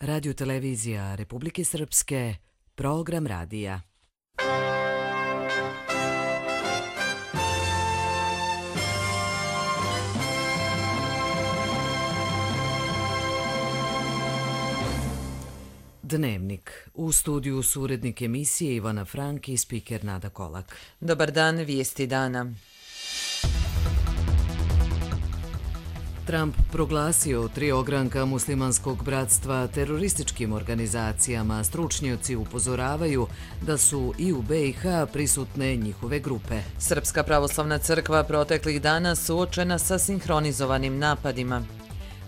Radio televizija Republike Srpske, program radija. Dnevnik. U studiju su urednik emisije Ivana Frank i spiker Nada Kolak. Dobar dan, vijesti dana. Trump proglasio 3 ogranka muslimanskog bratstva terorističkim organizacijama. Stručnjaci upozoravaju da su i u BiH prisutne njihove grupe. Srpska pravoslavna crkva proteklih dana suočena sa sinhronizovanim napadima.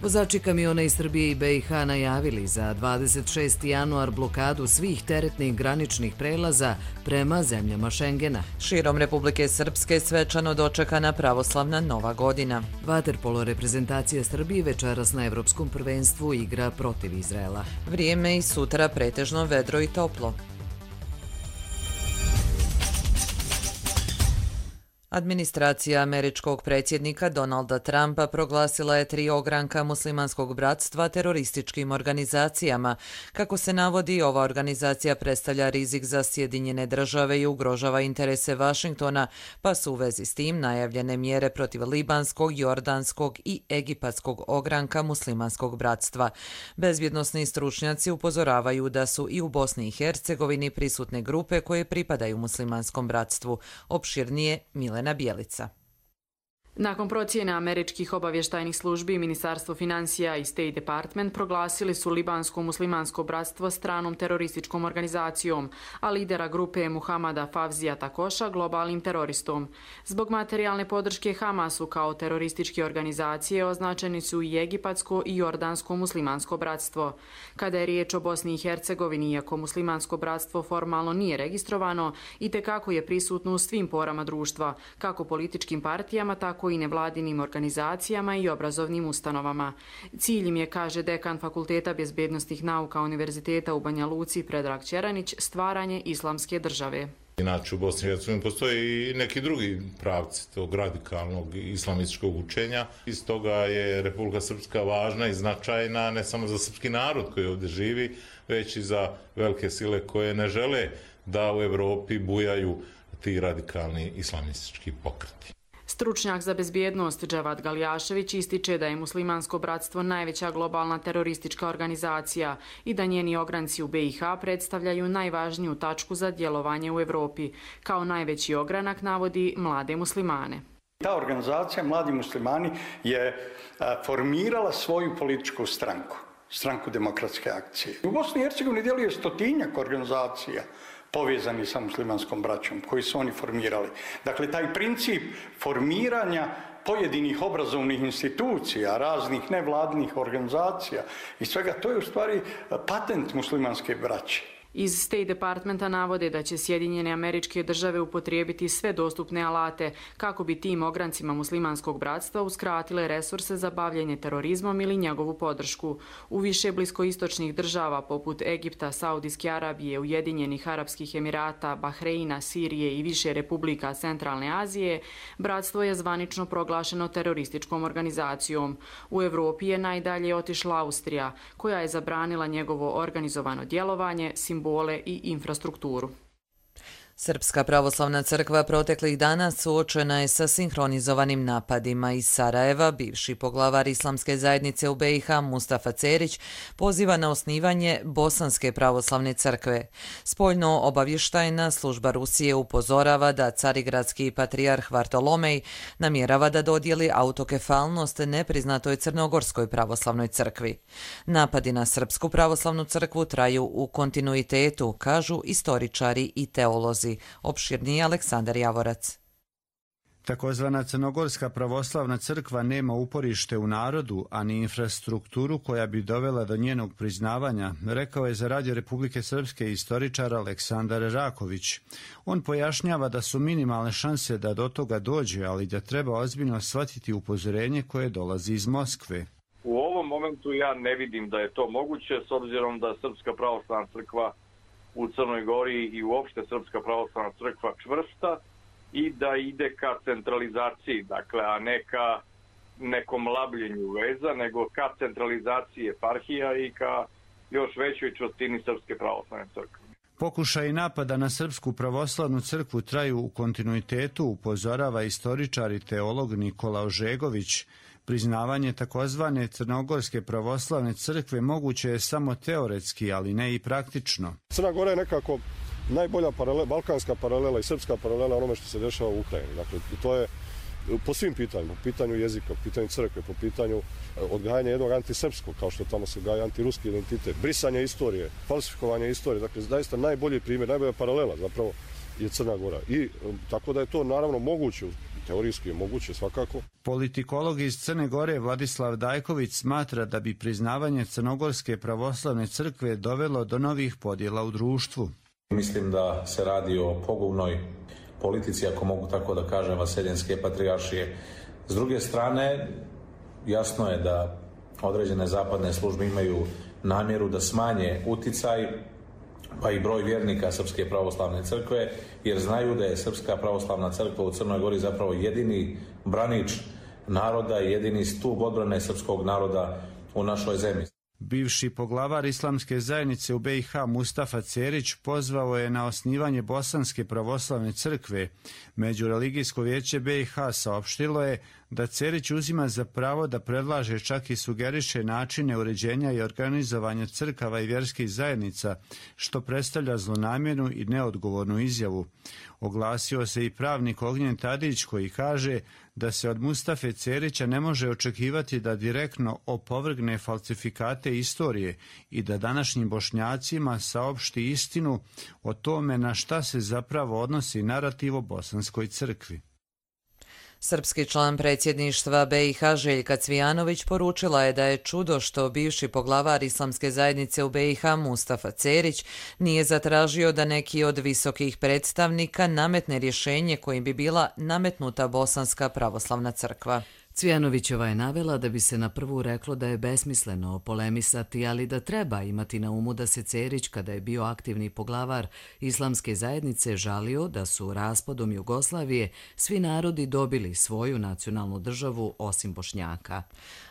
Vozači kamiona iz Srbije i BiH najavili za 26. januar blokadu svih teretnih graničnih prelaza prema zemljama Šengena. Širom Republike Srpske svečano dočekana pravoslavna Nova godina. Vaterpolo reprezentacija Srbije večeras na Evropskom prvenstvu igra protiv Izraela. Vrijeme i sutra pretežno vedro i toplo. Administracija američkog predsjednika Donalda Trumpa proglasila je 3 ogranka muslimanskog bratstva terorističkim organizacijama. Kako se navodi, ova organizacija predstavlja rizik za Sjedinjene države i ugrožava interese Vašingtona, pa su u vezi s tim najavljene mjere protiv libanskog, jordanskog i egipatskog ogranka muslimanskog bratstva. Bezbjednosni stručnjaci upozoravaju da su i u Bosni i Hercegovini prisutne grupe koje pripadaju muslimanskom bratstvu. Opširnije Milena Bjelica. Nakon procjene američkih obavještajnih službi, Ministarstvo financija i State Department proglasili su libansko muslimansko bratstvo stranom terorističkom organizacijom, a lidera grupe Muhamada Favzija Takoša globalnim teroristom. Zbog materijalne podrške Hamasu kao terorističke organizacije označeni su i egipatsko i jordansko muslimansko bratstvo. Kada je riječ o Bosni i Hercegovini, iako muslimansko bratstvo formalno nije registrovano, itekako je prisutno u svim porama društva, kako političkim partijama, tako i nevladinim organizacijama i obrazovnim ustanovama. Cilj im je, kaže dekan Fakulteta bezbednosnih nauka Univerziteta u Banja Luci Predrag Ćeranić, stvaranje islamske države. Inače u Bosni i Hercegovini postoji i neki drugi pravci tog radikalnog islamističkog učenja. Iz toga je Republika Srpska važna i značajna ne samo za srpski narod koji ovdje živi, već i za velike sile koje ne žele da u Evropi bujaju ti radikalni islamistički pokreti. Stručnjak za bezbjednost Dževad Galjašević ističe da je muslimansko bratstvo najveća globalna teroristička organizacija i da njeni ogranci u BiH predstavljaju najvažniju tačku za djelovanje u Evropi. Kao najveći ogranak navodi mlade muslimane. Ta organizacija Mladi muslimani je formirala svoju političku stranku, stranku demokratske akcije. U Bosni i Hercegovini djeluje 100-tinjak organizacija povezani sa muslimanskom braćom, koji su oni formirali. Dakle, taj princip formiranja pojedinih obrazovnih institucija, raznih nevladinih organizacija i svega, to je u stvari patent muslimanske braće. Iz State Departmenta navode da će Sjedinjene Američke Države upotrijebiti sve dostupne alate kako bi tim ograncima muslimanskog bratstva uskratile resurse za bavljenje terorizmom ili njegovu podršku. U više bliskoistočnih država poput Egipta, Saudijske Arabije, Ujedinjenih Arapskih Emirata, Bahreina, Sirije i više republika Centralne Azije, bratstvo je zvanično proglašeno terorističkom organizacijom. U Evropi je najdalje otišla Austrija, koja je zabranila njegovo organizovano djelovanje, simbole i infrastrukturu. Srpska pravoslavna crkva proteklih dana suočena je sa sinhronizovanim napadima. Iz Sarajeva bivši poglavar islamske zajednice u BiH Mustafa Cerić poziva na osnivanje Bosanske pravoslavne crkve. Spoljno obavještajna služba Rusije upozorava da carigradski patrijarh Vartolomej namjerava da dodijeli autokefalnost nepriznatoj Crnogorskoj pravoslavnoj crkvi. Napadi na Srpsku pravoslavnu crkvu traju u kontinuitetu, kažu istoričari i teolozi. Opširniji Aleksandar Javorac. Takozvana Crnogorska pravoslavna crkva nema uporište u narodu, a ni infrastrukturu koja bi dovela do njenog priznavanja, rekao je za Radio Republike Srpske istoričar Aleksandar Raković. On pojašnjava da su minimalne šanse da do toga dođe, ali da treba ozbiljno shvatiti upozorenje koje dolazi iz Moskve. U ovom momentu ja ne vidim da je to moguće, s obzirom da Srpska pravoslavna crkva u Crnoj Gori i uopšte Srpska pravoslavna crkva čvrsta i da ide ka centralizaciji, dakle, a ne ka nekom labljenju veza, nego ka centralizaciji eparhija i ka još većoj čvrstini Srpske pravoslavne crkve. Pokušaj napada na Srpsku pravoslavnu crkvu traju u kontinuitetu, upozorava istoričar i teolog Nikola Ožegović. Priznavanje takozvane Crnogorske pravoslavne crkve moguće je samo teoretski, ali ne i praktično. Crna Gora je nekako najbolja balkanska paralela i srpska paralela onome što se dešava u Ukrajini. Dakle, to je po svim pitanjima, po pitanju jezika, po pitanju crkve, po pitanju odgajanja jednog antisrpskog, kao što tamo se gaja antiruski identitet, brisanje istorije, falsifikovanje istorije. Dakle, zaista najbolji primjer, najbolja paralela zapravo je Crna Gora. I tako da je to naravno moguće, teorijski je moguće svakako. Politikolog iz Crne Gore Vladislav Dajković smatra da bi priznavanje Crnogorske pravoslavne crkve dovelo do novih podjela u društvu. Mislim da se radi o pogubnoj politici, ako mogu tako da kažem, vaseljenske patrijaršije. S druge strane, jasno je da određene zapadne službe imaju namjeru da smanje uticaj, pa i broj vjernika Srpske pravoslavne crkve, jer znaju da je Srpska pravoslavna crkva u Crnoj Gori zapravo jedini branič naroda i jedini stup odbrane srpskog naroda u našoj zemlji. Bivši poglavar islamske zajednice u BiH Mustafa Cerić pozvao je na osnivanje Bosanske pravoslavne crkve. Međureligijsko vijeće BiH saopštilo je da Cerić uzima za pravo da predlaže, čak i sugeriše načine uređenja i organizovanja crkava i vjerskih zajednica, što predstavlja zlonamjernu i neodgovornu izjavu. Oglasio se i pravnik Ognjen Tadić koji kaže da se od Mustafe Cerića ne može očekivati da direktno opovrgne falsifikate istorije i da današnjim Bošnjacima saopšti istinu o tome na šta se zapravo odnosi narativ o Bosanskoj crkvi. Srpski član predsjedništva BiH Željka Cvijanović poručila je da je čudo što bivši poglavar islamske zajednice u BiH Mustafa Cerić nije zatražio da neki od visokih predstavnika nametne rješenje kojim bi bila nametnuta Bosanska pravoslavna crkva. Cvijanovićeva je navela da bi se na prvu reklo da je besmisleno polemisati, ali da treba imati na umu da se Cerić, kada je bio aktivni poglavar islamske zajednice, žalio da su raspadom Jugoslavije svi narodi dobili svoju nacionalnu državu osim Bošnjaka.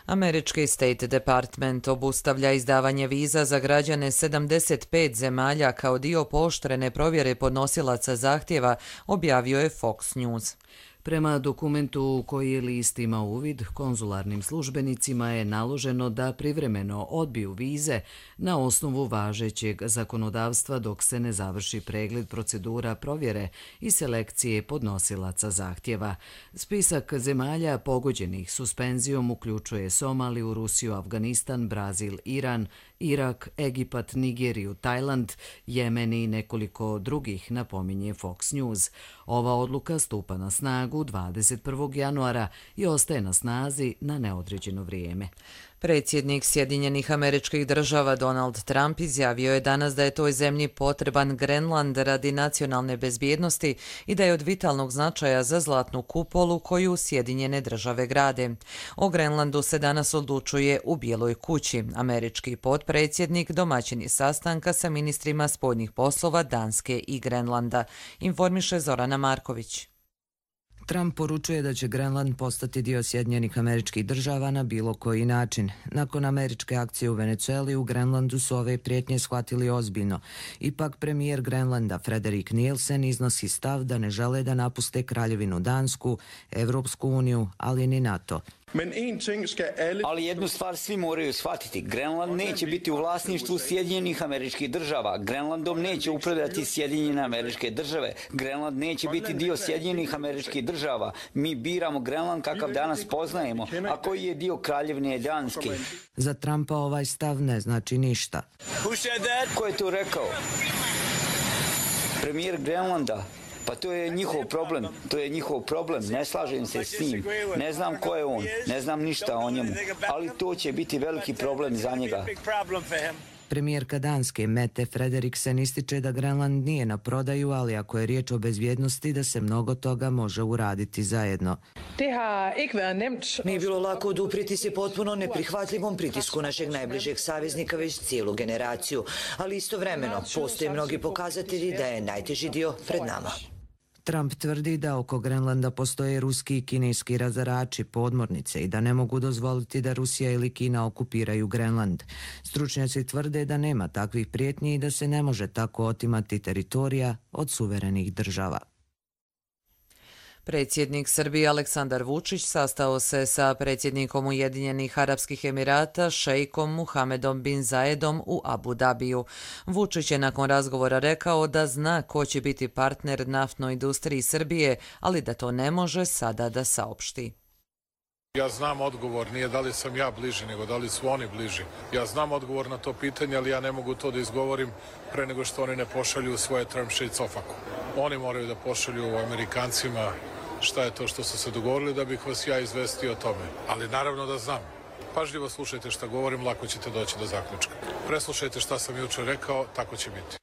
Američki State Department obustavlja izdavanje viza za građane 75 zemalja kao dio pooštrene provjere podnosilaca zahtjeva, objavio je Fox News. Prema dokumentu u koji je list ima uvid, konzularnim službenicima je naloženo da privremeno odbiju vize na osnovu važećeg zakonodavstva dok se ne završi pregled procedura provjere i selekcije podnosilaca zahtjeva. Spisak zemalja pogođenih suspenzijom uključuje Somaliju, Rusiju, Afganistan, Brazil, Iran, Irak, Egipat, Nigeriju, Tajland, Jemen i nekoliko drugih, napominje Fox News. Ova odluka stupa na snagu 21. januara i ostaje na snazi na neodređeno vrijeme. Predsjednik Sjedinjenih Američkih Država Donald Trump izjavio je danas da je toj zemlji potreban Grenland radi nacionalne bezbjednosti i da je od vitalnog značaja za zlatnu kupolu koju Sjedinjene Države grade. O Grenlandu se danas odlučuje u Bijeloj kući. Američki potpredsjednik domaćin je sastanka sa ministrima spoljnih poslova Danske i Grenlanda, informiše Zorana Marković. Trump poručuje da će Grenland postati dio Sjedinjenih Američkih Država na bilo koji način. Nakon američke akcije u Venezueli, u Grenlandu su ove prijetnje shvatili ozbiljno. Ipak premijer Grenlanda Frederik Nielsen iznosi stav da ne žele da napuste Kraljevinu Dansku, Evropsku uniju, ali ni NATO. Ali jednu stvar svi moraju shvatiti. Grenland neće biti u vlasništvu Sjedinjenih Američkih Država. Grenlandom neće upravljati Sjedinjene Američke Države. Grenland neće biti dio Sjedinjenih Američkih Država. Mi biramo Grenland kakav danas poznajemo, a koji je dio Kraljevine Danske. Za Trumpa ovaj stav ne znači ništa. Ko je to rekao? Premijer Grenlanda. Pa to je njihov problem, ne slažem se s njim, ne znam ko je on, ne znam ništa o njemu, ali to će biti veliki problem za njega. Premijerka Danske Mette Frederiksen ističe da Grenland nije na prodaju, ali ako je riječ o bezbjednosti, da se mnogo toga može uraditi zajedno. Nije bilo lako oduprijeti se potpuno neprihvatljivom pritisku našeg najbližeg saveznika već cijelu generaciju, ali istovremeno postoje mnogi pokazatelji da je najteži dio pred nama. Trump tvrdi da oko Grenlanda postoje ruski i kineski razarači, podmornice i da ne mogu dozvoliti da Rusija ili Kina okupiraju Grenland. Stručnjaci tvrde da nema takvih prijetnji i da se ne može tako otimati teritorija od suverenih država. Predsjednik Srbije Aleksandar Vučić sastao se sa predsjednikom Ujedinjenih Arapskih Emirata šejkom Muhamedom bin Zayedom u Abu Dabiju. Vučić je nakon razgovora rekao da zna ko će biti partner naftnoj industriji Srbije, ali da to ne može sada da saopšti. Ja znam odgovor, nije da li sam ja bliži, nego da li su oni bliži. Ja znam odgovor na to pitanje, ali ja ne mogu to da izgovorim pre nego što oni ne pošalju svoje termše i cofaku. Oni moraju da pošalju Amerikancima šta je to što su se dogovorili da bih vas ja izvestio o tome. Ali naravno da znam. Pažljivo slušajte šta govorim, lako ćete doći do zaključka. Preslušajte šta sam jučer rekao, tako će biti.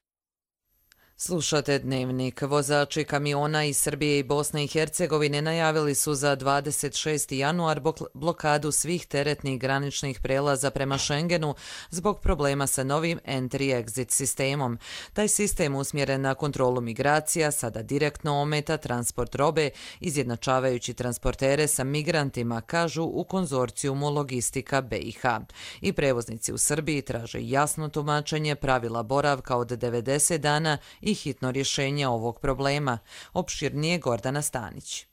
Slušate Dnevnik. Vozači kamiona iz Srbije i Bosne i Hercegovine najavili su za 26. januar blokadu svih teretnih graničnih prelaza prema Schengenu zbog problema sa novim entry-exit sistemom. Taj sistem usmjeren na kontrolu migracija sada direktno ometa transport robe, izjednačavajući transportere sa migrantima, kažu u konzorcijumu Logistika BiH. I prevoznici u Srbiji traže jasno tumačenje pravila boravka od 90 dana i hitno rješenje ovog problema. Opširnije Gordana Stanić.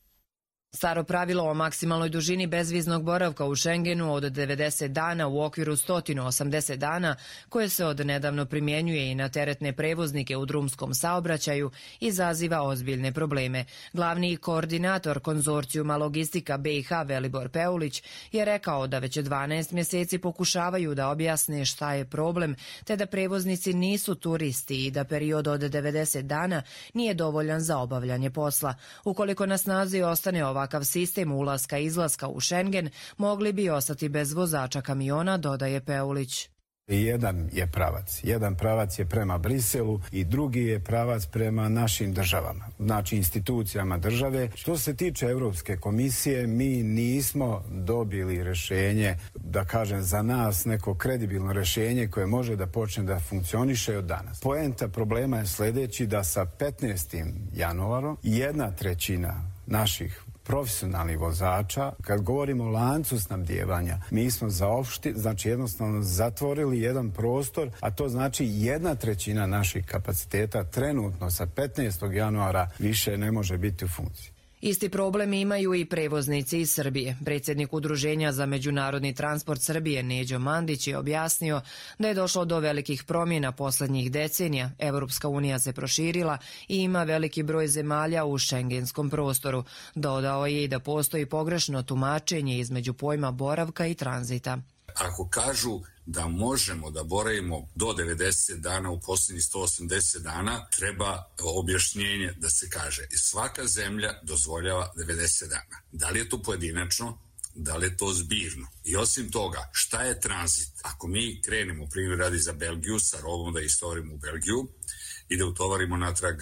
Staro pravilo o maksimalnoj dužini bezviznog boravka u Schengenu od 90 dana u okviru 180 dana, koje se od nedavno primjenjuje i na teretne prevoznike u drumskom saobraćaju, izaziva ozbiljne probleme. Glavni koordinator konzorcijuma Logistika BiH Velibor Peulić je rekao da već 12 mjeseci pokušavaju da objasne šta je problem, te da prevoznici nisu turisti i da period od 90 dana nije dovoljan za obavljanje posla. Ukoliko na snazi ostane ovakav sistem ulaska i izlaska u Schengen, mogli bi ostati bez vozača kamiona, dodaje Peulić. Jedan pravac je prema Briselu i drugi je pravac prema našim državama, znači institucijama države. Što se tiče Europske komisije, mi nismo dobili rješenje, da kažem za nas neko kredibilno rješenje koje može da počne da funkcioniše od danas. Poenta problema je sljedeći, da sa 15. januarom 1/3 naših profesionalnih vozača, kad govorimo o lancu snabdijevanja, mi smo znači jednostavno zatvorili jedan prostor, a to znači 1/3 naših kapaciteta trenutno sa 15. januara više ne može biti u funkciji. Isti problem imaju i prevoznici iz Srbije. Predsjednik Udruženja za međunarodni transport Srbije Neđo Mandić je objasnio da je došlo do velikih promjena posljednjih decenija. Europska unija se proširila i ima veliki broj zemalja u šengenskom prostoru. Dodao je i da postoji pogrešno tumačenje između pojma boravka i tranzita. Ako kažu da možemo da boravimo do 90 dana u posljednjih 180 dana, treba objašnjenje da se kaže svaka zemlja dozvoljava 90 dana. Da li je to pojedinačno, da li je to zbirno? I osim toga, šta je tranzit? Ako mi krenemo, primjer radi za Belgiju, sa robom da istovarimo u Belgiju i da utovarimo natrag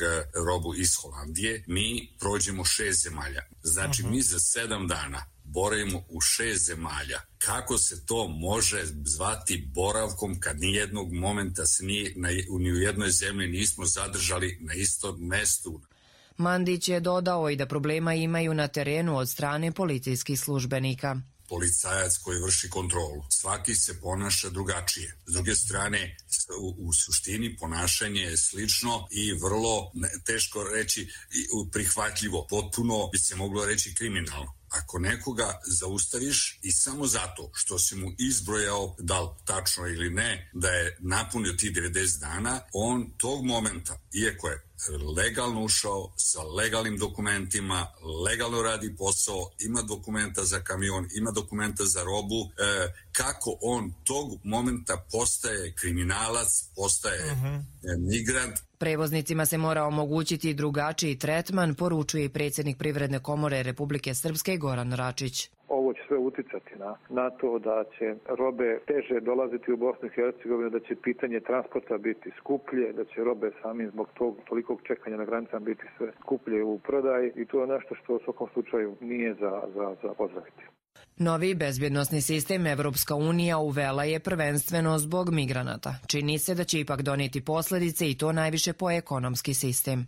robu iz Holandije, mi prođemo 6 zemalja. Znači mi za 7 dana boravimo u 6 zemalja. Kako se to može zvati boravkom kad nijednog momenta se ni u jednoj zemlji nismo zadržali na istom mestu? Mandić je dodao i da problema imaju na terenu od strane policijskih službenika. Policajac koji vrši kontrolu. Svaki se ponaša drugačije. S druge strane, u suštini ponašanje je slično i vrlo teško reći prihvatljivo. Potpuno bi se moglo reći kriminalno. Ako nekoga zaustaviš i samo zato što si mu izbrojao, da li tačno ili ne, da je napunio ti 90 dana, on tog momenta, iako je legalno ušao sa legalnim dokumentima, legalno radi posao, ima dokumenta za kamion, ima dokumenta za robu, kako on tog momenta postaje kriminalac, postaje migrant. Prevoznicima se mora omogućiti drugačiji tretman, poručuje i predsjednik Privredne komore Republike Srpske Goran Račić. Ovo će sve uticati na to da će robe teže dolaziti u Bosnu i Hercegovinu, da će pitanje transporta biti skuplje, da će robe sami zbog tog tolikog čekanja na granicama biti sve skuplje u prodaji i to je nešto što u svakom slučaju nije za pozdraviti. Novi bezbjednosni sistem Evropska unija uvela je prvenstveno zbog migranata. Čini se da će ipak donijeti posljedice i to najviše po ekonomski sistem.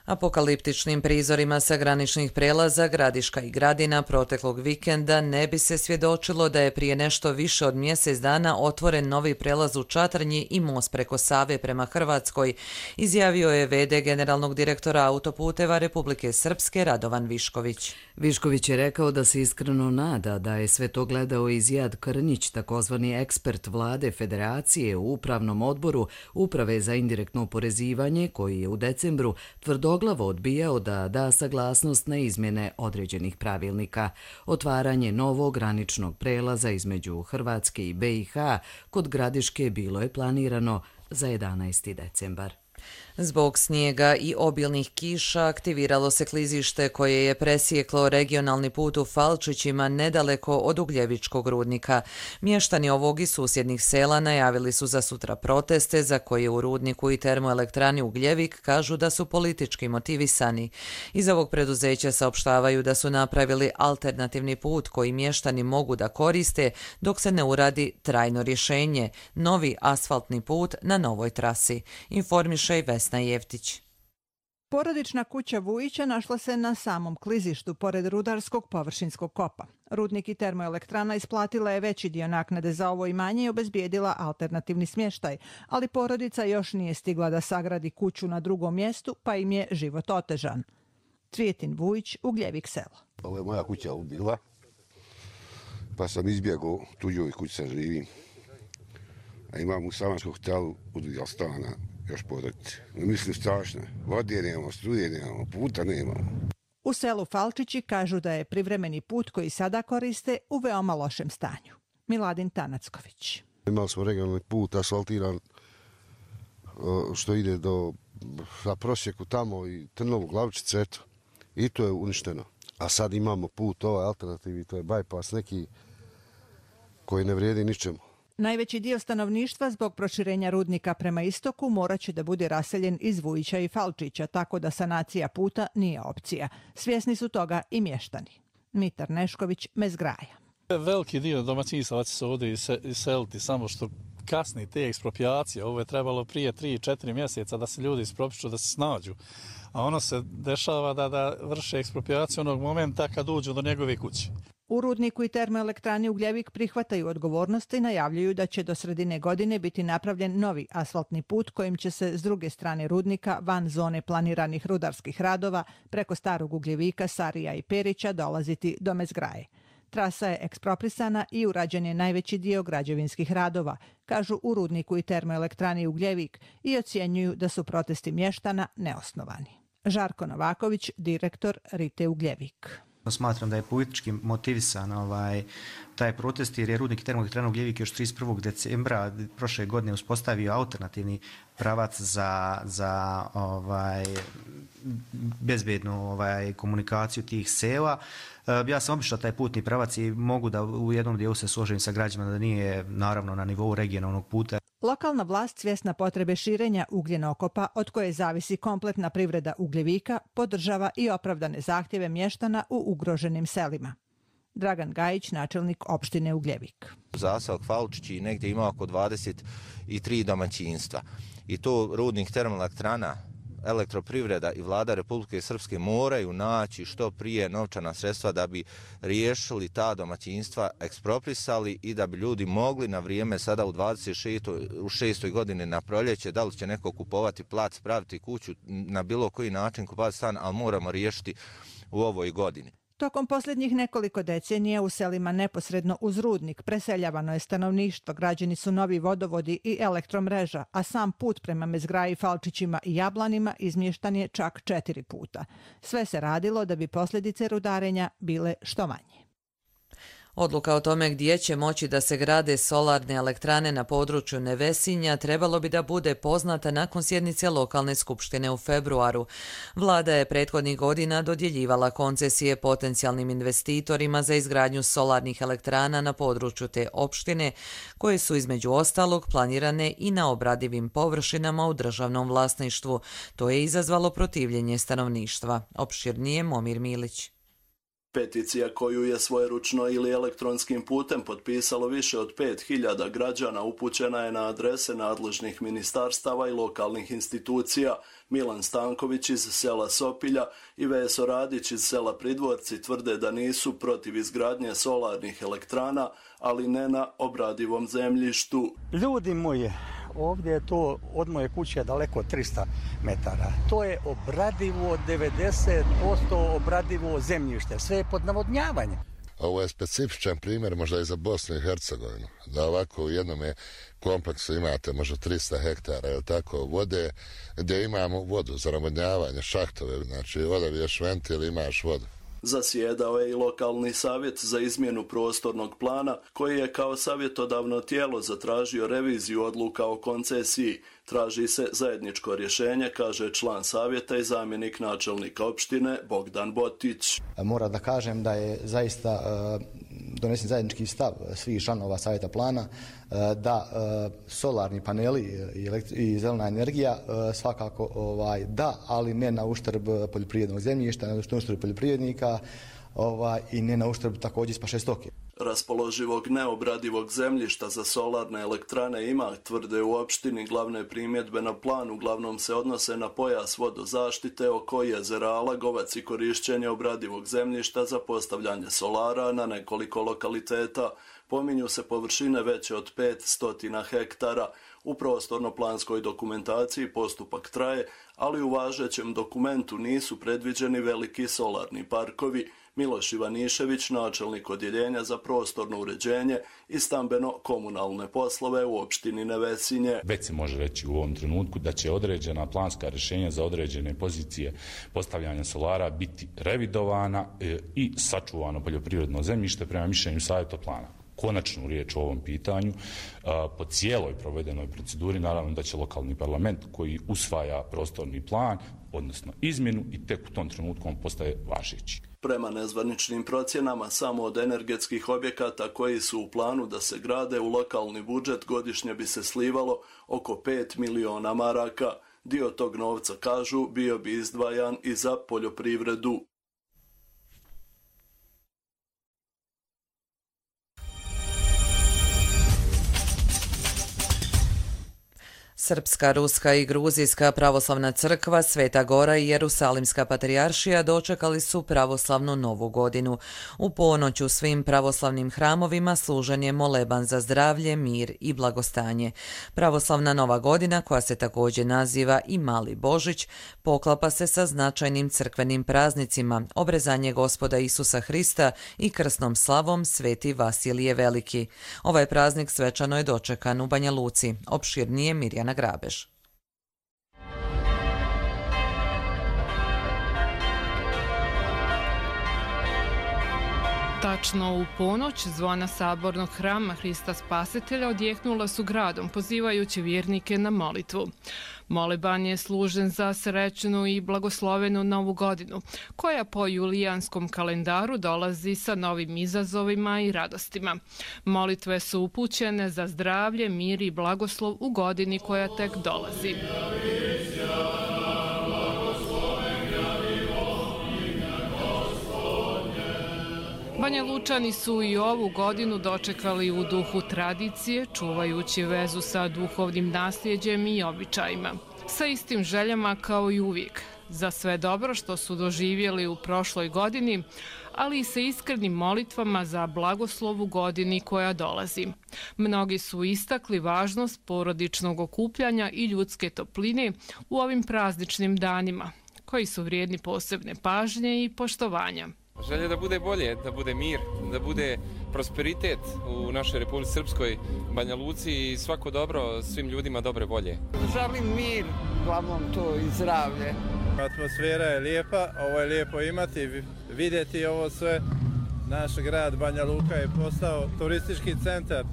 Apokaliptičnim prizorima sa graničnih prelaza Gradiška i Gradina proteklog vikenda ne bi se svjedočilo da je prije nešto više od mjesec dana otvoren novi prelaz u Čatrnji i most preko Save prema Hrvatskoj, izjavio je v.d. generalnog direktora autoputeva Republike Srpske Radovan Višković. Višković je rekao da se iskreno nada da je sve to gledao i Zijad Krnjić, takozvani ekspert vlade Federacije u Upravnom odboru Uprave za indirektno oporezivanje, koji je u decembru tvrdoglavo odbijao da da saglasnost na izmjene određenih pravilnika. Otvaranje novog graničnog prelaza između Hrvatske i BiH kod Gradiške bilo je planirano za 11. decembar. Zbog snijega i obilnih kiša aktiviralo se klizište koje je presjeklo regionalni put u Falčićima nedaleko od Ugljevičkog rudnika. Mještani ovog i susjednih sela najavili su za sutra proteste za koje u rudniku i termoelektrani Ugljevik kažu da su politički motivisani. Iz ovog preduzeća saopštavaju da su napravili alternativni put koji mještani mogu da koriste dok se ne uradi trajno rješenje, novi asfaltni put na novoj trasi, informiše i Vesna Jeftić. Porodična kuća Vujića našla se na samom klizištu pored rudarskog površinskog kopa. Rudnik i termoelektrana isplatila je veći dio naknade za ovo imanje i obezbijedila alternativni smještaj, ali porodica još nije stigla da sagradi kuću na drugom mjestu, pa im je život otežan. Cvijetin Vujić, Ugljevik selo. Ovo je moja kuća ubila, pa sam izbjegao tuđoj kući sa živim. A imam u Samanskom hotelu udvijal stana. Još podati. Mislim strašno. Vode nemamo, struje nemamo, puta nemamo. U selu Falčići kažu da je privremeni put koji sada koriste u veoma lošem stanju. Miladin Tanacković. Imali smo regionalni put asfaltiran što ide za prosjeku tamo i Trnovu, Glavčice, eto. I to je uništeno. A sad imamo put, ovaj alternativi, to je bypass neki koji ne vrijedi ničemu. Najveći dio stanovništva zbog proširenja rudnika prema istoku morat će da bude raseljen iz Vujića i Falčića, tako da sanacija puta nije opcija. Svjesni su toga i mještani. Mitar Nešković, Mezgraja. Veliki dio domaćinstava će se ovdje iseliti, samo što kasni te ekspropriacije. Ovo je trebalo prije 3-4 mjeseca da se ljudi ispropišu, da se snađu. A ono se dešava da vrše ekspropriaciju onog momenta kad uđu do njegove kuće. U rudniku i termoelektrani Ugljevik prihvataju odgovornost i najavljuju da će do sredine godine biti napravljen novi asfaltni put kojim će se s druge strane rudnika, van zone planiranih rudarskih radova, preko Starog Ugljevika, Sarija i Perića dolaziti do Mezgraje. Trasa je eksproprisana i urađen je najveći dio građevinskih radova, kažu u rudniku i termoelektrani Ugljevik, i ocjenjuju da su protesti mještana neosnovani. Žarko Novaković, direktor Rite Ugljevik. Smatram da je politički motivisan taj protest jer je rudnik i termoelektrana Ugljevik još 31. decembra prošle godine uspostavio alternativni pravac za bezbednu komunikaciju tih sela. Ja sam obišao taj putni pravac i mogu da u jednom dijelu se složim sa građanima da nije naravno na nivou regionalnog puta. Lokalna vlast, svjesna potrebe širenja ugljenokopa od koje zavisi kompletna privreda Ugljevika, podržava i opravdane zahtjeve mještana u ugroženim selima. Dragan Gajić, načelnik opštine Ugljevik. Zaseok Falčići negdje ima oko 23 domaćinstva. I to rudnik termoelektrana, elektroprivreda i vlada Republike Srpske moraju naći što prije novčana sredstva da bi riješili ta domaćinstva, eksproprisali i da bi ljudi mogli na vrijeme sada u 26. godini na proljeće, da li će neko kupovati plac, praviti kuću, na bilo koji način kupovati stan, ali moramo riješiti u ovoj godini. Tokom posljednjih nekoliko decenija u selima neposredno uz rudnik preseljavano je stanovništvo, građeni su novi vodovodi i elektromreža, a sam put prema Mezgraji, Falčićima i Jablanima izmještan je čak 4 puta. Sve se radilo da bi posljedice rudarenja bile što manje. Odluka o tome gdje će moći da se grade solarne elektrane na području Nevesinja trebalo bi da bude poznata nakon sjednice lokalne skupštine u februaru. Vlada je prethodnih godina dodjeljivala koncesije potencijalnim investitorima za izgradnju solarnih elektrana na području te opštine, koje su između ostalog planirane i na obradivim površinama u državnom vlasništvu. To je izazvalo protivljenje stanovništva. Opširnije Momir Milić. Peticija koju je svojeručno ili elektronskim putem potpisalo više od 5000 građana upućena je na adrese nadležnih ministarstava i lokalnih institucija. Milan Stanković iz sela Sopilja i Veso Radić iz sela Pridvorci tvrde da nisu protiv izgradnje solarnih elektrana, ali ne na obradivom zemljištu. Ljudi moji, ovdje je to od moje kuće daleko 300 metara. To je obradivo, 90% obradivo zemljište. Sve je pod navodnjavanjem. Ovo je specifičan primjer možda i za Bosnu i Hercegovinu. Da ovako u jednom kompleksu imate možda 300 hektara ili tako vode, gdje imamo vodu za navodnjavanje, šahtove, znači odabiješ ventil, imaš vodu. Zasjedao je i lokalni savjet za izmjenu prostornog plana, koji je kao savjetodavno tijelo zatražio reviziju odluka o koncesiji. Traži se zajedničko rješenje, kaže član savjeta i zamjenik načelnika opštine Bogdan Botić. Moram da kažem da je zaista donesen zajednički stav svih članova savjeta plana da solarni paneli i zelena energija svakako da, ali ne na uštrb poljoprivrednog zemljišta, ne na uštrb poljoprivrednika i ne na uštrb također spaše stoke. Raspoloživog neobradivog zemljišta za solarne elektrane ima, tvrde u opštini. Glavne primjedbe na plan uglavnom se odnose na pojas vodozaštite oko jezera Alagovac i korišćenje obradivog zemljišta za postavljanje solara na nekoliko lokaliteta. Pominju se površine veće od 500 hektara. U prostorno-planskoj dokumentaciji postupak traje, ali u važećem dokumentu nisu predviđeni veliki solarni parkovi. Miloš Ivanišević, načelnik odjeljenja za prostorno uređenje i stambeno-komunalne poslove u opštini Nevesinje. Već se može reći u ovom trenutku da će određena planska rješenja za određene pozicije postavljanja solara biti revidovana i sačuvano poljoprivredno zemljište prema mišljenju savjetoplana. Konačnu riječ o ovom pitanju po cijeloj provedenoj proceduri, naravno da će lokalni parlament koji usvaja prostorni plan, odnosno izmjenu, i tek u tom trenutku on postaje važeći. Prema nezvaničnim procjenama, samo od energetskih objekata koji su u planu da se grade u lokalni budžet godišnje bi se slivalo oko 5 miliona maraka. Dio tog novca, kažu, bio bi izdvajan i za poljoprivredu. Srpska, ruska i gruzijska pravoslavna crkva, Sveta Gora i Jerusalimska patrijaršija dočekali su pravoslavnu novu godinu. U ponoć u svim pravoslavnim hramovima služen je moleban za zdravlje, mir i blagostanje. Pravoslavna nova godina, koja se također naziva i Mali Božić, poklapa se sa značajnim crkvenim praznicima, obrezanje Gospoda Isusa Hrista i krsnom slavom Sveti Vasilije Veliki. Ovaj praznik svečano je dočekan u Banja Luci. Opširnije Mirjana Grabež. Tačno u ponoć zvona sabornog hrama Hrista Spasitelja odjehnula su gradom, pozivajući vjernike na molitvu. Moleban je služen za srećnu i blagoslovenu novu godinu, koja po julijanskom kalendaru dolazi sa novim izazovima i radostima. Molitve su upućene za zdravlje, mir i blagoslov u godini koja tek dolazi. Banja Lučani su i ovu godinu dočekali u duhu tradicije, čuvajući vezu sa duhovnim nasljeđem i običajima. Sa istim željama kao i uvijek, za sve dobro što su doživjeli u prošloj godini, ali i sa iskrenim molitvama za blagoslov u godini koja dolazi. Mnogi su istakli važnost porodičnog okupljanja i ljudske topline u ovim prazničnim danima, koji su vrijedni posebne pažnje i poštovanja. Želje da bude bolje, da bude mir, da bude prosperitet u našoj Republici Srpskoj, Banja Luci i svako dobro svim ljudima dobre volje. Želim mir, glavnom to i zdravlje. Atmosfera je lijepa, ovo je lijepo imati, vidjeti ovo sve. Naš grad Banja Luka je postao turistički centar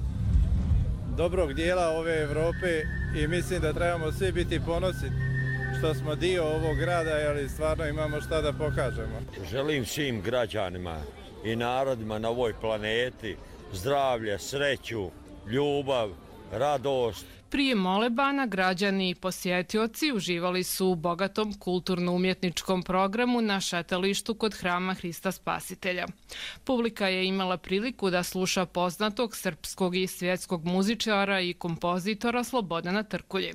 dobrog dijela ove Evrope i mislim da trebamo svi biti ponosni što smo dio ovog grada, ali stvarno imamo šta da pokažemo. Želim svim građanima i narodima na ovoj planeti zdravlje, sreću, ljubav, radost Prije molebana građani i posjetioci uživali su u bogatom kulturno-umjetničkom programu na šetalištu kod Hrama Hrista Spasitelja. Publika je imala priliku da sluša poznatog srpskog i svjetskog muzičara i kompozitora Slobodana Trkulje.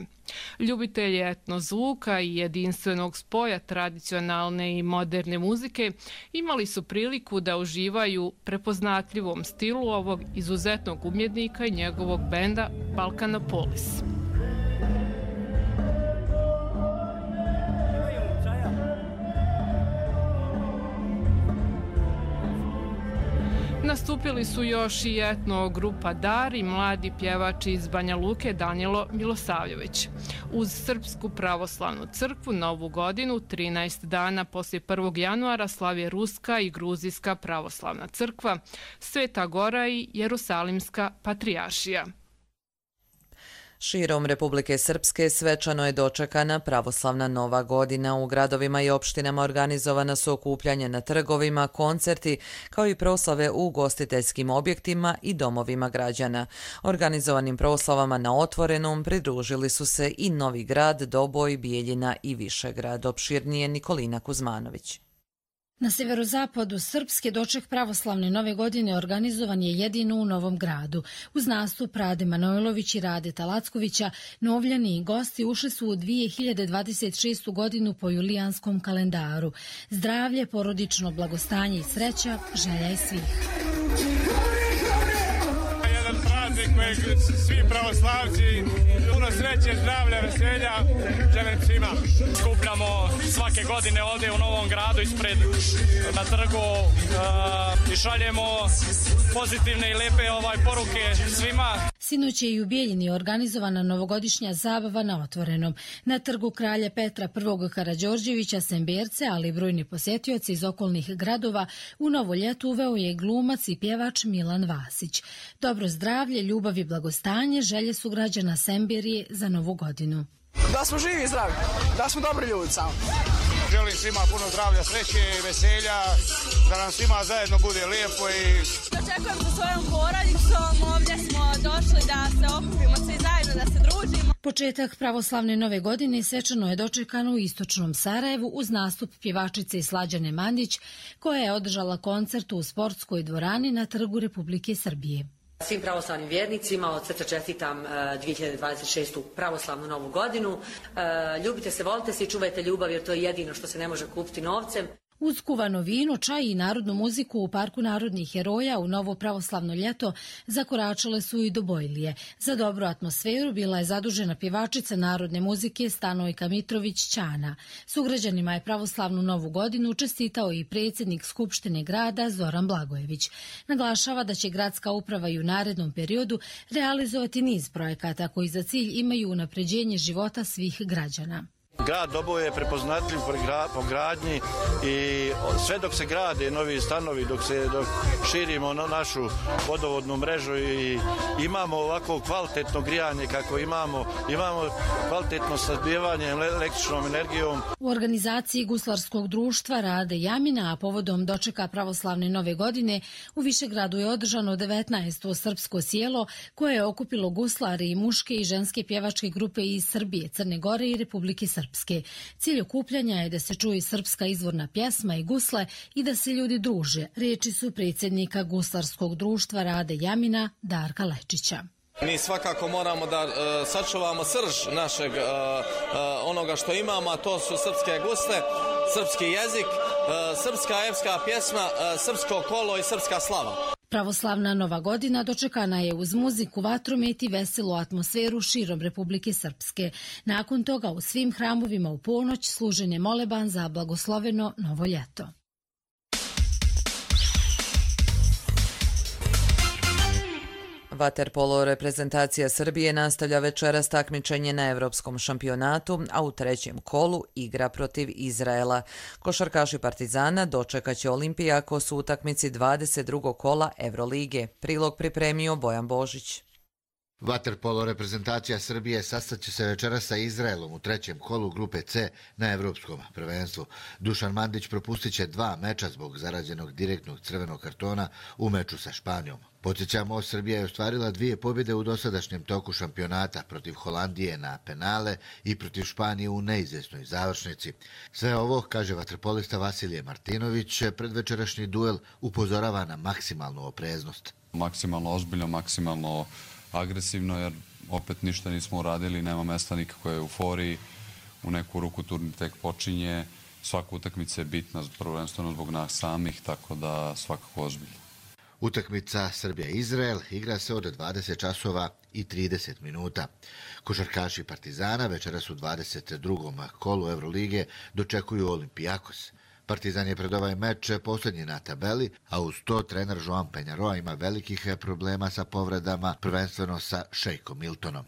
Ljubitelji etnozvuka i jedinstvenog spoja tradicionalne i moderne muzike imali su priliku da uživaju prepoznatljivom stilu ovog izuzetnog umjetnika i njegovog benda Balkanopolis. Nastupili su još i etno grupa Dar i mladi pjevač iz Banja Luke Danilo Milosavljević. Uz Srpsku pravoslavnu crkvu Novu godinu 13 dana poslije 1. januara slavi Ruska i Gruzijska pravoslavna crkva, Sveta Gora i Jerusalimska patrijaršija. Širom Republike Srpske svečano je dočekana pravoslavna Nova godina. U gradovima i opštinama organizovana su okupljanja na trgovima, koncerti, kao i proslave u ugostiteljskim objektima i domovima građana. Organizovanim proslavama na otvorenom pridružili su se i Novi Grad, Doboj, Bijeljina i Višegrad. Opširnije Nikolina Kuzmanović. Na severozapadu Srpske doček pravoslavne Nove godine organizovan je jedino u Novom Gradu. Uz nastup Rade Manojlović i Rade Talackovića, novljani i gosti ušli su u 2026. godinu po julijanskom kalendaru. Zdravlje, porodično blagostanje i sreća želja je svih. Jedan praznik kojeg svi pravoslavci, puno sreće, zdravlja, veselja želim svima. Skupljamo svake godine ovdje u Novom Gradu ispred na trgu i šaljemo pozitivne i lepe poruke svima. Sinoć je i u Bijeljini organizovana novogodišnja zabava na otvorenom. Na trgu kralja Petra I. Karađorđevića Semberce, ali i brojni posjetioci iz okolnih gradova, u novo ljeto uveo je glumac i pjevač Milan Vasić. Dobro zdravlje, ljubav i blagostanje želje su građana Semberije za Novu godinu. Da smo živi i zdravi, da smo dobri ljudi samo. Želim svima puno zdravlja, sreće i veselja, da nam svima zajedno bude lijepo i... Očekujem sa svojom porodicom, ovdje smo došli da se okupimo svi zajedno, da se družimo. Početak pravoslavne Nove godine svečano je dočekan u istočnom Sarajevu uz nastup pjevačice Slađane Mandić, koja je održala koncert u sportskoj dvorani na Trgu Republike Srbije. Svim pravoslavnim vjernicima od srca čestitam 2026. pravoslavnu Novu godinu. Ljubite se, volite se i čuvajte ljubav jer to je jedino što se ne može kupiti novcem. Uz kuvano vino, čaj i narodnu muziku u Parku narodnih heroja u novo pravoslavno ljeto zakoračale su i Dobojlije. Za dobru atmosferu bila je zadužena pjevačica narodne muzike Stanojka Mitrović Ćana. Sugrađanima je pravoslavnu Novu godinu čestitao i predsjednik Skupštine grada Zoran Blagojević. Naglašava da će gradska uprava i u narednom periodu realizovati niz projekata koji za cilj imaju unapređenje života svih građana. Grad Doboj je prepoznatljiv po gradnji i sve dok se grade novi stanovi, dok širimo našu vodovodnu mrežu i imamo ovako kvalitetno grijanje kako imamo kvalitetno snabdijevanje električnom energijom. U organizaciji Guslarskog društva Rade Jamina, a povodom dočeka pravoslavne Nove godine, u Višegradu je održano 19. srpsko sjelo koje je okupilo guslare i muške i ženske pjevačke grupe iz Srbije, Crne Gore i Republike Srpske. Cilj okupljanja je da se čuje srpska izvorna pjesma i gusle i da se ljudi druže. Riječi su predsjednika Guslarskog društva Rade Jamina, Darka Lečića. Mi svakako moramo da sačuvamo srž našeg onoga što imamo, a to su srpske gusle, srpski jezik, srpska epska pjesma, srpsko kolo i srpska slava. Pravoslavna Nova godina dočekana je uz muziku, vatromet i veselu atmosferu širom Republike Srpske. Nakon toga u svim hramovima u ponoć služen je moleban za blagosloveno novo ljeto. Vaterpolo reprezentacija Srbije nastavlja večeras takmičenje na Evropskom šampionatu, a u trećem kolu igra protiv Izraela. Košarkaši Partizana dočekaće Olimpijakos u utakmici 22. kola Evrolige. Prilog pripremio Bojan Božić. Vaterpolo reprezentacija Srbije sastaće se večeras sa Izraelom u trećem kolu grupe C na evropskom prvenstvu. Dušan Mandić propustit će 2 meča zbog zarađenog direktnog crvenog kartona u meču sa Španijom. Podsjećamo, Srbija je ostvarila 2 pobjede u dosadašnjem toku šampionata protiv Holandije na penale i protiv Španije u neizvjesnoj završnici. Sve ovo, kaže vaterpolista Vasilije Martinović, predvečerašnji duel upozorava na maksimalnu opreznost. Maksimalno ozbiljno, maksimalno agresivno, jer opet ništa nismo uradili, nema mesta nikakve euforiji, u neku ruku turnir tek počinje, svaka utakmica je bitna, prvenstveno zbog nas samih, tako da svakako ozbiljno. Utakmica Srbija-Izrael igra se od 20 časova i 30 minuta. Košarkaši Partizana večeras u 22. kolu Evrolige dočekuju Olimpijakos. Partizan je pred ovaj meč posljednji na tabeli, a uz to trener Joan Peñarol ima velikih problema sa povredama, prvenstveno sa Šejkom Miltonom.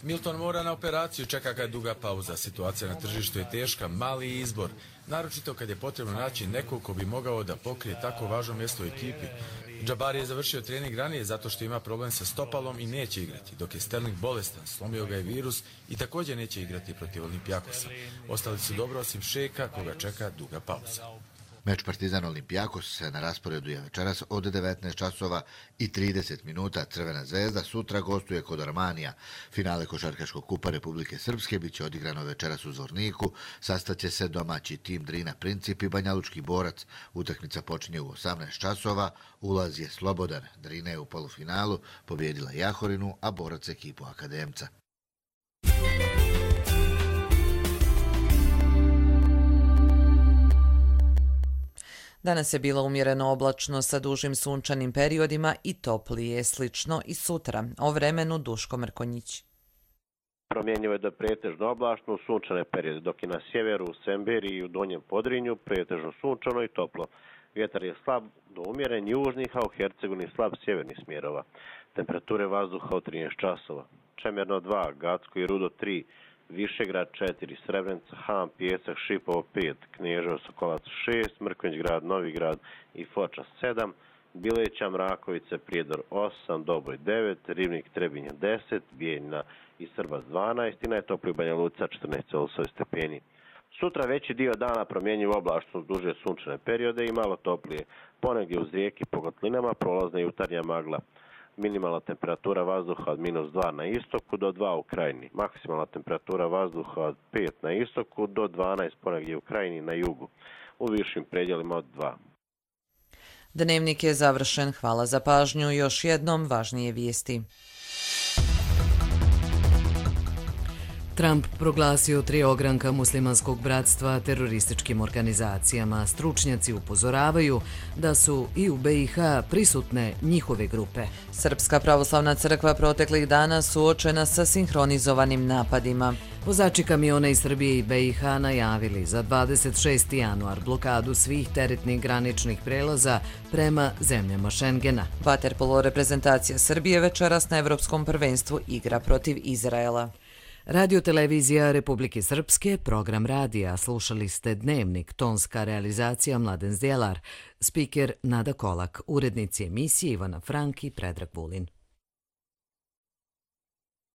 Milton mora na operaciju, čeka ga duga pauza. Situacija na tržištu je teška, mali izbor. Naročito kad je potrebno naći nekog ko bi mogao da pokrije tako važno mjesto u ekipi. Džabari je završio trening ranije zato što ima problem sa stopalom i neće igrati, dok je Sterling bolestan, slomio ga je virus i također neće igrati protiv Olimpijakosa. Ostali su dobro osim Šejka, koga čeka duga pauza. Meč Partizan Olimpijakos na rasporedu je večeras od 19 časova i 30 minuta. Crvena zvezda sutra gostuje kod Armanija. Finale košarkaškog kupa Republike Srpske biće odigrano večeras u Zvorniku. Sastaće se domaći tim Drina Princip i Banjalučki Borac. Utakmica počinje u 18 časova. Ulaz je slobodan. Drina je u polufinalu pobjedila Jahorinu, a Borac ekipu Akademca. Danas je bilo umjereno oblačno sa dužim sunčanim periodima i toplije, slično i sutra. O vremenu Duško Mrkonjić. Promjenjivo je da pretežno oblačno u sunčane periode, dok je na sjeveru, u Semberiji i u Donjem Podrinju pretežno sunčano i toplo. Vjetar je slab do umjeren južnih, a u Hercegovini slab sjevernih smjerova. Temperature vazduha od 13 časova. Čemerno 2, Gacko i Rudo 3, Višegrad 4, Srebrenica, Han, Pijesak, Šipovo 5, Kneževo, Sokolac 6, Mrkonjić grad, Novi grad i Foča 7, Bileća, Mrakovice, Prijedor 8, Doboj 9, Rivnik, Trebinja 10, Bijeljina i Srbac 12 i najtopliji Banja Luka 14 stepeni. Sutra veći dio dana promjenjiv oblačno duže sunčane periode i malo toplije. Ponegdje uz rijeke po kotlinama prolazna jutarnja magla. Minimalna temperatura vazduha od -2 na istoku do 2 u krajini. Maksimalna temperatura vazduha od 5 na istoku do 12 ponegdje u krajini i na jugu. U višim predjelima od 2. Dnevnik je završen. Hvala za pažnju. Još jednom važnije vijesti. Trump proglasio 3 ogranka muslimanskog bratstva terorističkim organizacijama. Stručnjaci upozoravaju da su i u BiH prisutne njihove grupe. Srpska pravoslavna crkva proteklih dana suočena sa sinhronizovanim napadima. Vozači kamiona iz Srbije i BiH najavili za 26. januar blokadu svih teretnih graničnih prelaza prema zemljama Šengena. Vaterpolo reprezentacija Srbije večeras na Evropskom prvenstvu igra protiv Izraela. Radio-televizija Republike Srpske, program radija, slušali ste Dnevnik, tonska realizacija Mladen Zdjelar, spiker Nada Kolak, urednici emisije Ivana Frank i Predrag Vulin.